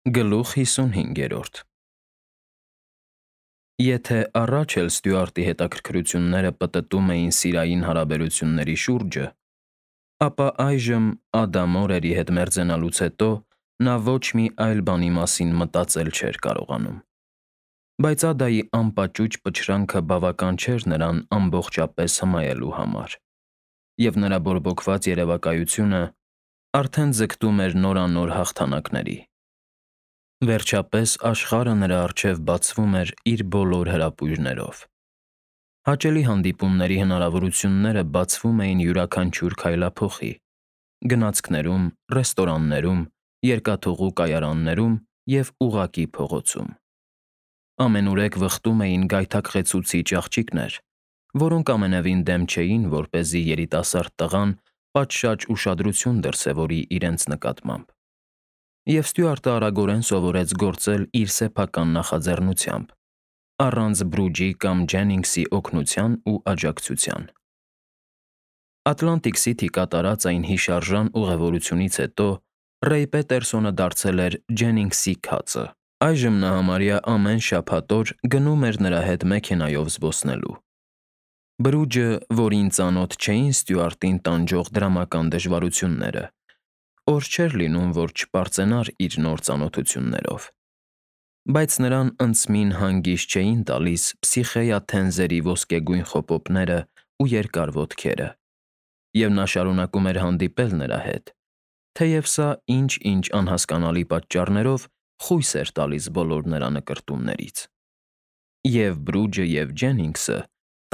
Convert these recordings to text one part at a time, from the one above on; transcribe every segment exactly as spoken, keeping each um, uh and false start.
Գլուխ հիսունհինգերորդ Եթե առաջ էլ Ստյուարտի հետաքրքրությունները պտտում էին սիրային հարաբերությունների շուրջը, ապա այժմ Ադամորերի հետ մերձենալուց հետո նա ոչ մի այլ բանի մասին մտածել չէր կարողանում։ Բայց Ադայի անպաճուճ պչրանքը բավական չէր նրան ամբողջապես հմայելու համար, և նրա բորբոքված երևակայությունը արդեն ձգտում էր նորանոր հաղթանակների։ Վերջապես աշխարհը նրա առջև բացվում էր իր բոլոր հրապույրներով։ Հաճելի հանդիպումների հնարավորությունները բացվում էին յուրաքանչյուր քայլափոխի՝ գնացքներում, ռեստորաններում, երկաթուղու կայարաններում և ուղղակի փողոցում։ Ամենուրեք վխտում էին գայթակղեցուցիչ աղջիկներ, որոնք ամենևին դեմ չէին, որպեսզի երիտասարդ տղան պատշաճ ուշադրություն դրսևորի իրենց նկատմամբ։ Եվ Ստյուարտը արագորեն սովորեց գործել իր սեփական նախաձեռնությամբ, առանց Բրուջի կամ Ջենինգսի օգնության ու աջակցության։ Ատլանտիկ Սիթի կատարած այն հիշարժան ուղևորությունից հետո Ռեյ Պետերսոնը դարձել էր Ջենինգսի քացը։ Այժմ նա համարյա ամեն շաբաթ օր գնում էր նրա հետ մեքենայով զբոսնելու։ Բրուջը, որին ծանոթ չէին Ստյուարտին տանջող դրամական դժվարությունները, օր չէր լինում, որ չպարծենար իր նոր ծանոթություններով։ Բայց նրան ընդսմին հանգիստ չէին տալիս Փսիխեյա Թենզերի ոսկեգույն խոպոպներն ու երկար ոտքերը, և նա շարունակում էր հանդիպել նրա հետ, թեև սա ինչ֊ինչ անհասկանալի պատճառներով խույս էր տալիս բոլոր նրա նկրտումներից։ Եվ Բրուջը, և Ջենինգսը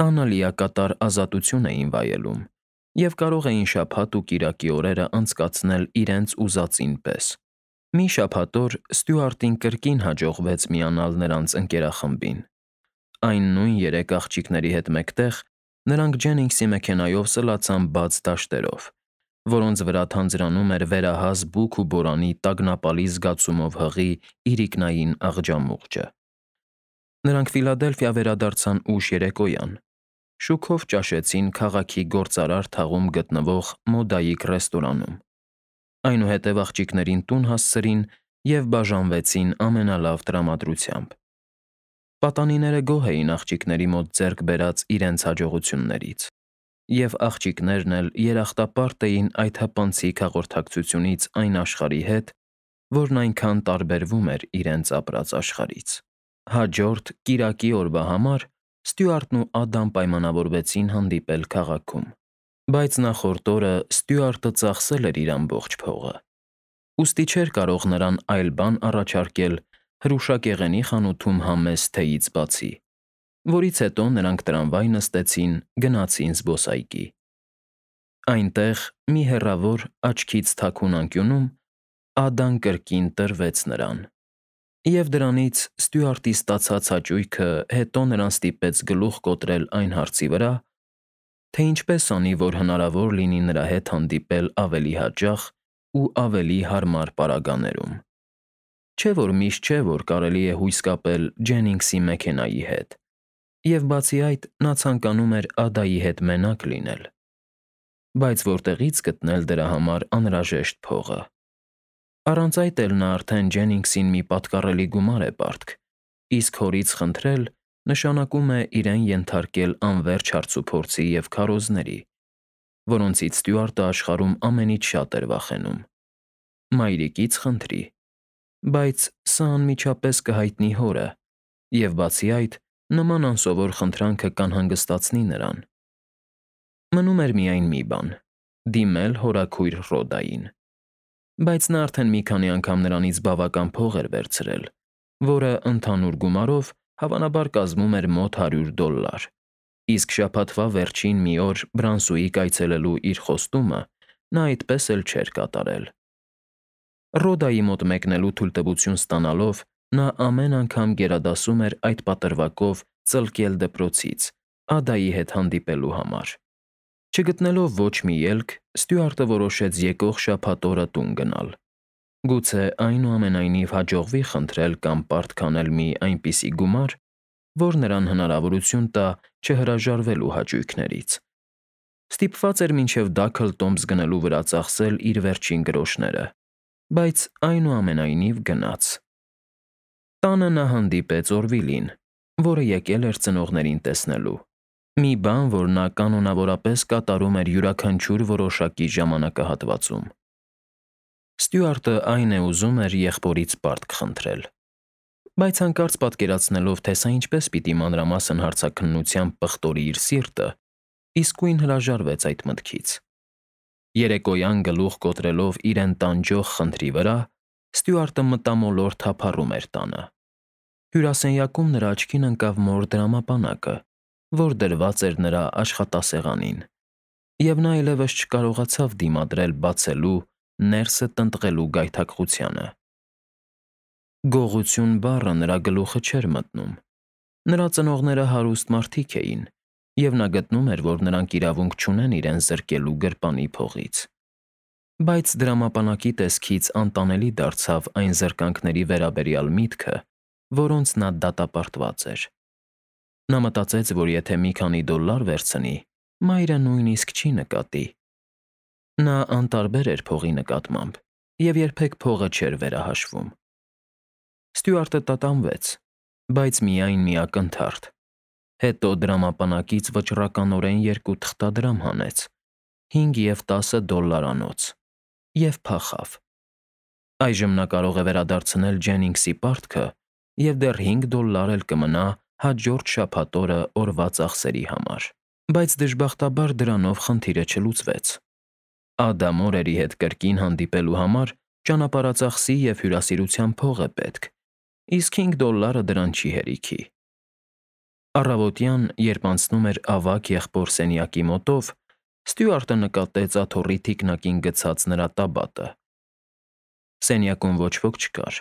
տանը լիակատար ազատություն էին վայելում և կարող էին շաբաթ ու կիրակի օրերը անցկացնել իրենց ուզածին պես։ Մի շաբաթ օր Ստյուարտին կրկին հաջողվեց միանալ նրանց ընկերախմբին։ Այն նույն երեք աղջիկների հետ մեկտեղ նրանք Ջենինգսի մեքենայով սլացան բաց դաշտերով, որոնց վրա թանձրանում էր վերահաս բուք ու բորանի տագնապալի զգացումով հղի իրիկնային աղջամուղջը։ Նրանք Ֆիլադելֆիա վերադարձան ուշ երեկոյան, շուքով ճաշեցին քաղաքի գործարար թաղում գտնվող Մոդայիկ ռեստորանում, այնուհետև աղջիկներին տուն հասցրին և բաժանվեցին ամենալավ տրամադրությամբ։ Պատանիները գոհ էին աղջիկների մոտ ձեռք բերած իրենց հաջողություններից, և աղջիկներն էլ երախտապարտ էին այդ հպանցիկ հաղորդակցությունից այն աշխարհի հետ, որն այնքան տարբերվում էր իրենց ապրած աշխարհից։ Հաջորդ՝ կիրակի օրվա համար Ստյուարտն ու Ադան պայմանավորվեցին հանդիպել քաղաքում։ Բայց նախորդ օրը Ստյուարտը ծախսել էր իր ամբողջ փողը, ուստի չէր կարող նրան այլ բան առաջարկել հրուշակեղենի խանութում համեստ թեյից բացի, որից հետո նրանք տրամվայ նստեցին, գնացին զբոսայգի։ Այնտեղ, մի հեռավոր, աչքից թաքուն անկյունում Ադան կրկին տրվեց նրան, և դրանից Ստյուարտի ստացած հաճույքը հետո նրան ստիպեց գլուխ կոտրել այն հարցի վրա, թե ինչպես անի, որ հնարավոր լինի նրա հետ հանդիպել ավելի հաճախ ու ավելի հարմար պարագաներում։ Չէ՞ որ միշտ չէ, որ կարելի է հույս կապել Ջենինգսի մեքենայի հետ, և բացի այդ, նա ցանկանում էր Ադայի հետ մենակ լինել։ Բայց որտեղի՞ց գտնել դրա համար անհրաժեշտ փողը։ Առանց այդ էլ նա արդեն Ջենինգսին մի պատկառելի գումար է պարտք, իսկ հորից խնդրել նշանակում է իրեն ենթարկել անվերջ հարցուփորձի և քարոզների, որոնցից Ստյուարտը աշխարհում ամենից շատ էր վախենում։ Մայրիկից խնդրի, բայց սա անմիջապես կհայտնի հորը, և բացի այդ, նման անսովոր խնդրանքը կանհանգստացնի նրան։ Մնում էր միայն մի բան՝ դիմել հորաքույր Ռոդային։ Բայց նա արդեն մի քանի անգամ նրանից բավական փող էր վերցրել, որը ընդհանուր գումարով հավանաբար կազմում էր մոտ հարյուր դոլլար, իսկ շաբաթվա վերջին մի օր Բրանսուիկ այցելելու իր խոստումը նա այդպես էլ չէր կատարել։ Ռոդայի մոտ մեկնելու թույլտվություն ստանալով նա ամեն անգամ գերադասում էր այդ պատրվակով ծլկել դպրոցից՝ Ադայի հետ հանդիպելու համար։ Չգտնելով ոչ մի ելք, Ստյուարտը որոշեց եկող շաբաթ օրը տուն գնալ։ Գուցե այնուամենայնիվ հաջողվի խնդրել կամ պարտք անել մի այնպիսի գումար, որ նրան հնարավորություն տա չհրաժարվելու հաճույքներից։ Ստիպված էր մինչև Դաքլթոմս գնելու վրա ծախսել իր վերջին գրոշները, բայց այնուամենայնիվ գնաց։ Տանը նա հանդիպեց Օրվիլին, որը եկել էր ծնողներին տեսնելու։ Մի բան, որ նա կանոնավորապես կատարում էր յուրաքանչյուր որոշակի ժամանակահատվածում։ Ստյուարտը այն է ուզում էր եղբորից պարտք խնդրել, բայց հանկարծ պատկերացնելով, թե սա ինչպես պիտի մանրամասն հարցաքննությամբ պղտորի իր սիրտը, իսկույն հրաժարվեց այդ մտքից։ Երեկոյան գլուխ կոտրելով իրեն տանջող խնդրի վրա, Ստյուարտը մտամոլորտ թափառում էր տանը։ Հյուրասենյակում նրա աչքին ընկավ մոր դրամապանակը, որ դրված էր նրա աշխատասեղանին, և նա այլևս չկարողացավ դիմադրել բացելու, ներսը տնտղելու գայթակղությանը։ Գողություն բառը նրա գլուխը չէր մտնում։ Նրա ծնողները հարուստ մարդիկ էին, և նա գտնում էր, որ նրանք իրավունք չունեն իրեն զրկելու գրպանի փողից։ Բայց դրամապանակի տեսքից անտանելի դարձավ այն զրկանքների վերաբերյալ միտքը, որոնց նա դատապարտված էր։ Նա մտածեց, որ եթե մի քանի դոլար վերցնի, մայրը նույնիսկ չի նկատի։ Նա անտարբեր էր փողի նկատմամբ և երբեք փողը չէր վերահաշվում։ Ստյուարտը տատանվեց, բայց միայն մի ակնթարթ։ Հետո դրամապանակից վճռականորեն երկու թղթադրամ հանեց, հինգ և տասը դոլլարանոց, և փախավ։ Այժմ նա կարող է վերադարձնել Ջենինգսի պարտքը և դեռ հինգ դոլլար էլ կմնա հաջորդ շաբաթ օրը օրվա ծախսերի համար։ Բայց դժբախտաբար դրանով խնդիրը չլուծվեց։ Ադա մորերի հետ կրկին հանդիպելու համար ճանապարհածախսի և հյուրասիրության փող է պետք, իսկ հինգ դոլլարը դրան չի հերիքի։ Առավոտյան, երբ անցնում էր ավագ եղբոր սենյակի մոտով, Ստյուարտը նկատեց աթոռի թիկնակին գցած նրա տաբատը։ Սենյակում ոչ ոք չկար,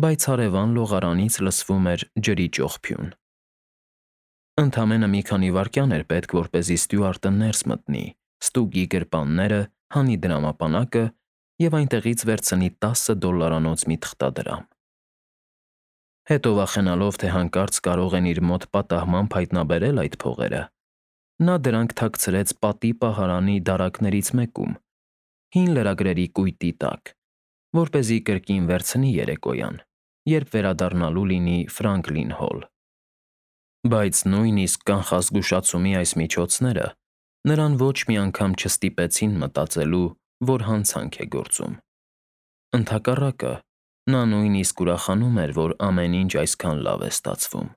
բայց հարևան լողարանից լսվում էր ջրի ճոխփյուն։ Ընդամենը մի քանի վայրկյան էր պետք, որպեսզի Ստյուարտը ներս մտնի, ստուգի գրպանները, հանի դրամապանակը և այնտեղից վերցնի տասը դոլլարանոց մի թղթադրամ։ Հետո վախենալով, թե հանկարծ կարող են իր մոտ պատահմամբ հայտնաբերել այդ փողերը, նա դրանք թաքցրեց պատի պահարանի դարակներից մեկում, հին լրագրերի կույտի տակ, որպեսզի կրկին վերցնի երեկոյան, երբ վերադառնալու լինի Ֆրանկլին Հոլ։ Բայց նույնիսկ կանխազգուշացումի այս միջոցները նրան ոչ մի անգամ չստիպեցին մտածելու, որ հանցանք է գործում։ Ընդհակառակը, նա նույնիսկ ուրախանում էր, որ ամեն ինչ այսքան լավ է ստացվում։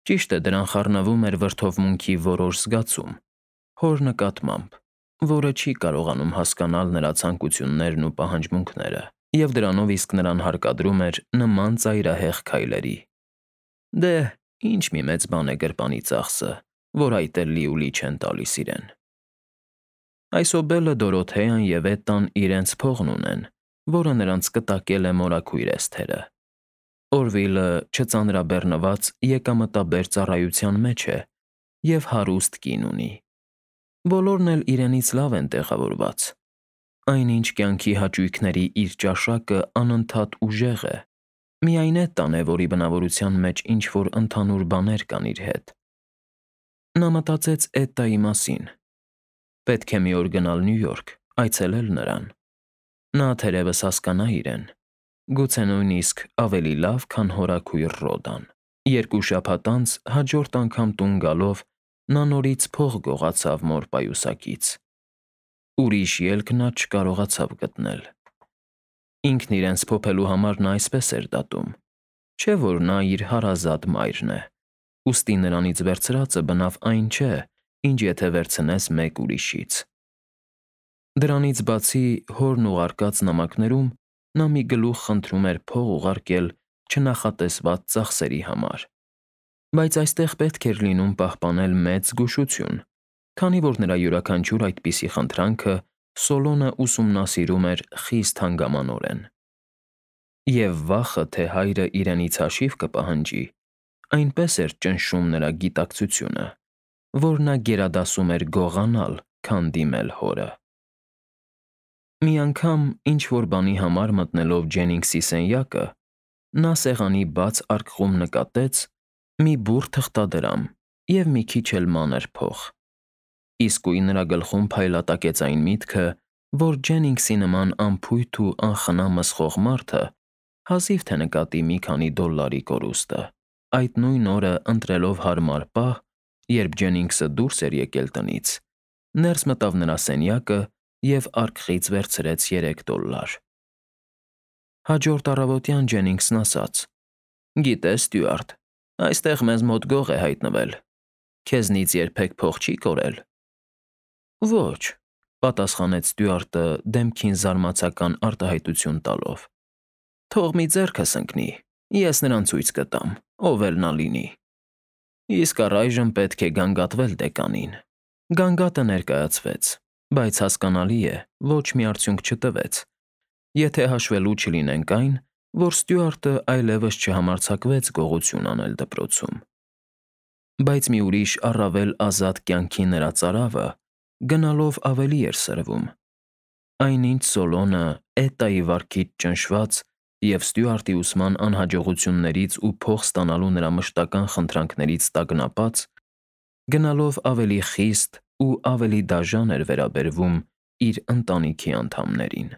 Ճիշտ է, դրան խառնվում էր վրդովմունքի որոշ զգացում, հոր նկատմամբ, որը չի կարողանում հասկանալ նրա ցանկություններն ու պահանջմունքները, և դրանով իսկ նրան հարկադրում էր նման ծայրահեղ քայլերի։ Դե, ինչ մի մեծ բան է գրպանի ծախսը, որ այդ էլ լիուլի չեն տալիս իրեն։ Այսօբելը Դորոթեան և Էտտան իրենց փողն ունեն, որը նրանց կտակել է մորաքույր Էսթերը։ Օրվիլը չծանրաբեռնված եկամտաբեր ծառայության մեջ է և հարուստ կին ունի։ Բոլորն էլ իրենից լավ են տեղավորված։ Այնինչ կյանքի հաճույքների իր ճաշակը անընդհատ ուժեղ է։ Միայն Էտտան է, որի բնավորության մեջ ինչ-որ ընդհանուր բաներ կան իր հետ։ Նա մտածեց Էտտայի մասին։ Պետք է մի օր գնալ Նյու Յորք, այցելել նրան։ Նա թերևս հասկանա իրեն, գուցե նույնիսկ ավելի լավ, քան հորաքույր Ռոդան։ Երկու շաբաթ անց հաջորդ անգամ տուն գալով նա նորից փող գողացավ մոր պայուսակից։ Ուրիշ ելք նա չկարողացավ գտնել։ Ինքն իրեն սփոփելու համար նա այսպես էր դատում, չէ՞ որ նա իր հարազատ մայրն է, ուստի նրանից վերցրածը բնավ այն չէ, ինչ եթե վերցնես մեկ ուրիշից։ Դրանից բացի, հորն ուղարկած նամակներում նա մի գլուխ խնդրում էր փող ուղարկել չնախատեսված ծախսերի համար, բայց այստեղ պետք էր լինում պահպանել մեծ զգուշություն, քանի որ նրա յուրաքանչյուր այդպիսի խնդրանքը Սոլոնը ուսումնասիրում էր խիստ հանգամանորեն։ Եվ վախը, թե հայրը իրենից հաշիվ կպահանջի, այնպես էր ճնշում նրա գիտակցությունը, որ նա գերադասում էր գողանալ, քան դիմել հորը։ Մի անգամ, ինչ-որ բանի համար մտնելով Ջենինգսի սենյակը, նա սեղանի բաց արկղում նկատեց մի բուռ թղթադրամ և մի քիչ էլ մանր փող։ Իսկույն նրա գլխում փայլատակեց այն միտքը, որ Ջենինգսի նման անփույթ ու անխնա մսխող մարդը հազիվ թե նկատի մի քանի դոլարի կորուստը։ Այդ նույն օրը, ընտրելով հարմար պահ, երբ Ջենինգսը դուրս էր եկել տնից, ներս մտավ նրա սենյակը և արկղից վերցրեց երեք դոլար։ Հաջորդ առավոտյան Ջենինգսն ասաց. «Գիտես, Ստյուարտ, այստեղ մեզ մոտ գող է հայտնվել։ Քեզնից երբեք փող չի կորել»։ «Ոչ», պատասխանեց Ստյուարտը դեմքին զարմացական արտահայտություն տալով։ «Թող մի ձեռքս ընկնի, ես նրան ցույց կտամ, ով էլ նա լինի։ Իսկ առայժմ պետք է գանգատվել դեկանին»։ Գանգատը ներկայացվեց, բայց հասկանալի է, ոչ մի արդյունք չտվեց, եթե հաշվելու չլինենք այն, որ Ստյուարտը այլևս չհամարձակվեց գողություն անել դպրոցում։ Բայց մի ուրիշ առավել ազատ կյանքի նրա ծարավը գնալով ավելի էր սրվում։ Այնինչ Սոլոնը, Էտայի վարքից ճնշված և Ստյուարտի ուսման անհաջողություններից ու փող ստանալու նրա մշտական խնդրանքներից տագնապած, գնալով ավելի խիստ ու ավելի դաժան էր վերաբերվում իր ընտանիքի անդամներին։